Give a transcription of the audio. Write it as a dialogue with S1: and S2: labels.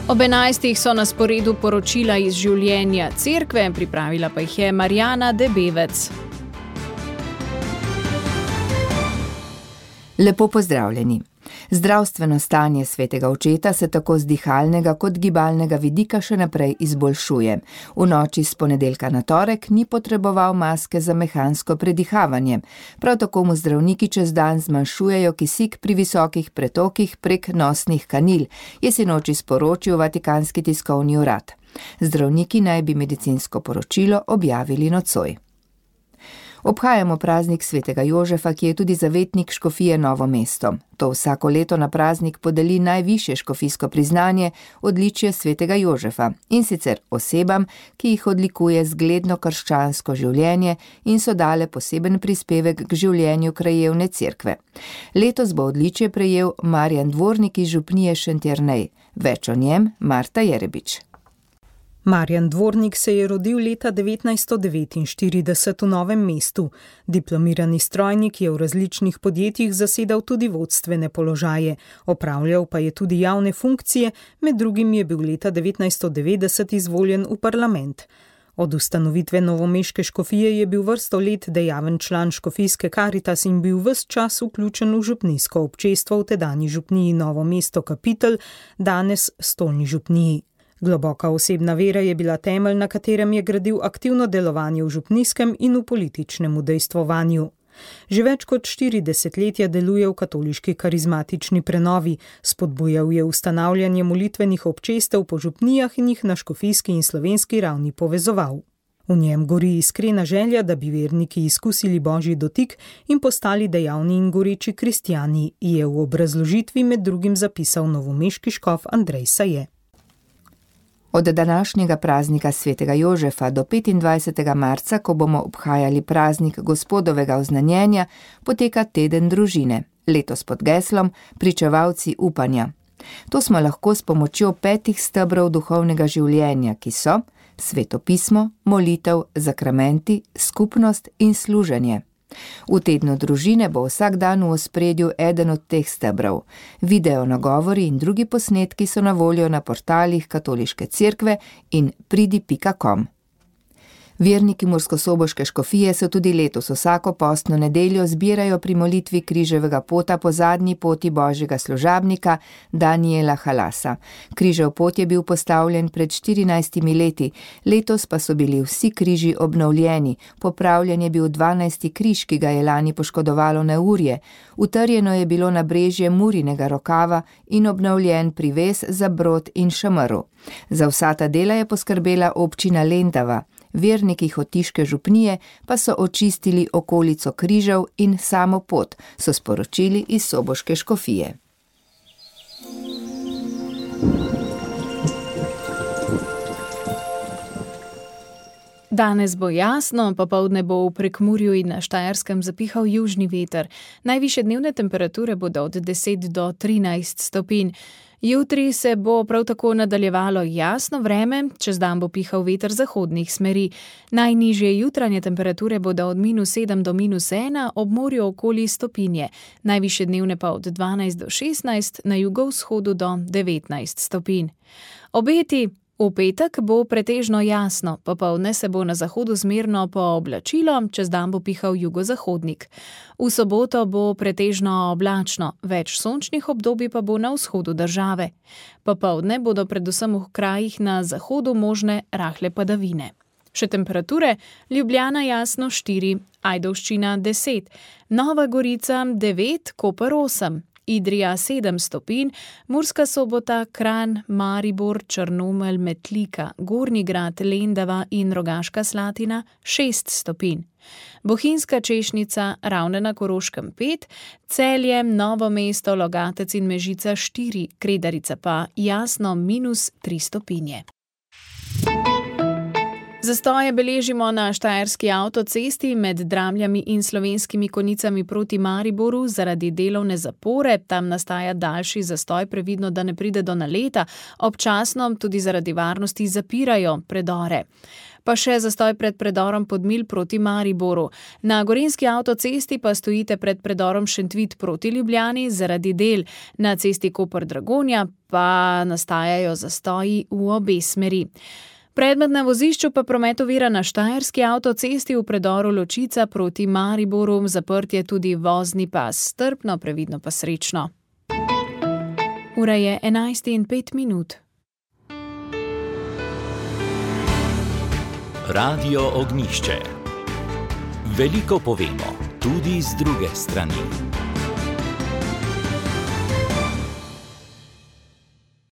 S1: Ob 11. so na sporedu poročila iz življenja cerkve, pripravila pa jih je Marjana Debevec.
S2: Lepo pozdravljeni. Zdravstveno stanje svetega očeta se tako z dihalnega kot gibalnega vidika še naprej izboljšuje. V noči s ponedeljka na torek ni potreboval maske za mehansko predihavanje. Prav tako mu zdravniki čez dan zmanjšujejo kisik pri visokih pretokih prek nosnih kanil, je sinoči sporočil Vatikanski tiskovni urad. Zdravniki naj bi medicinsko poročilo objavili nocoj. Obhajamo praznik svetega Jožefa, ki je tudi zavetnik škofije Novo mesto. To vsako leto na praznik podeli najvišje škofijsko priznanje, odličje svetega Jožefa, in sicer osebam, ki jih odlikuje zgledno krščansko življenje in so dale poseben prispevek k življenju krajevne cerkve. Letos bo odličje prejel Marjan Dvornik iz župnije Šentjernej. Več o njem Marta Jerebič.
S3: Marjan Dvornik se je rodil leta 1949 v Novem mestu. Diplomirani strojnik je v različnih podjetjih zasedal tudi vodstvene položaje, opravljal pa je tudi javne funkcije, med drugim je bil leta 1990 izvoljen v parlament. Od ustanovitve novomeške škofije je bil vrsto let dejaven član škofijske Karitas in bil ves čas vključen v župnijsko občestvo v tedanji župniji Novo mesto Kapitel, danes Stolni župniji. Globoka osebna vera je bila temelj, na katerem je gradil aktivno delovanje v župnijskem in v političnem udejstvovanju. Že več kot 4 desetletja deluje v katoliški karizmatični prenovi, spodbujal je ustanavljanje molitvenih občestev po župnijah in jih na škofijski in slovenski ravni povezoval. V njem gori iskrena želja, da bi verniki izkusili božji dotik in postali dejavni in goreči kristjani, je v obrazložitvi med drugim zapisal novomeški škof Andrej Saje.
S2: Od današnjega praznika svetega Jožefa do 25. marca, ko bomo obhajali praznik Gospodovega oznanjenja, poteka teden družine, letos pod geslom Pričevalci upanja. To smo lahko s pomočjo 5 stebrov duhovnega življenja, ki so Sveto pismo, molitev, sakramenti, skupnost in služenje. V tednu družine bo vsak dan v ospredju eden od teh stebrov. Video nagovori in drugi posnetki so na voljo na portalih Katoliške cerkve in pridi.com. Verniki murskosoboške škofije se tudi letos vsako postno nedeljo zbirajo pri molitvi križevega pota po zadnji poti božjega služabnika Daniela Halasa. Križev pot je bil postavljen pred 14 leti, letos pa so bili vsi križi obnovljeni, popravljen je bil 12. križ, ki ga je lani poškodovalo neurje, utrjeno je bilo nabrežje Murinega rokava in obnovljen privez za brod in šamrl. Za vsa ta dela je poskrbela občina Lendava. Verniki hotiške župnije pa so očistili okolico križev in samo pot, so sporočili iz soboške škofije.
S1: Danes bo jasno, popoldne bo v Prekmurju in na Štajerskem zapihal južni veter. Najvišje dnevne temperature bodo od 10 do 13 stopinj. Jutri se bo prav tako nadaljevalo jasno vreme, čez dan bo pihal veter zahodnih smeri. Najnižje jutranje temperature bodo od -7 do -1, ob morju okoli stopinje. Najvišje dnevne pa od 12 do 16, na jugovzhodu do 19 stopinj. Obeti. V petek bo pretežno jasno, popoldne se bo na zahodu zmerno pooblačilo, čez dan bo pihal jugozahodnik. V soboto bo pretežno oblačno, več sončnih obdobij pa bo na vzhodu države. Popoldne bodo predvsem v krajih na zahodu možne rahle padavine. Še temperature: Ljubljana jasno 4, Ajdovščina 10, Nova Gorica 9, Koper 8. Idrija 7 stopinj, Murska Sobota, Kranj, Maribor, Črnomelj, Metlika, Gornji Grad, Lendava in Rogaška Slatina 6 stopinj. Bohinjska Češnica, Ravne na Koroškem 5, Celje, Novo mesto, Logatec in Mežica 4, Kredarica pa jasno -3 stopinje. Zastoje beležimo na štajerski avtocesti med Dramljami in Slovenskimi Konjicami proti Mariboru zaradi delovne zapore. Tam nastaja daljši zastoj, previdno, da ne pride do naleta. Občasno tudi zaradi varnosti zapirajo predore. Pa še zastoj pred predorom Podmilj proti Mariboru. Na Gorenjski avtocesti pa stojite pred predorom Šentvid proti Ljubljani zaradi del. Na cesti Koper-Dragonja pa nastajajo zastoji v obe smeri. Predmet na vozišču pa promet ovira na Štajerski avtocesti v predoru Ločica proti Mariboru. Zaprt je tudi vozni pas. Strpno, previdno pa srečno. Ura je 11:05.
S4: Radio Ognjišče. Veliko povemo, tudi z druge strani.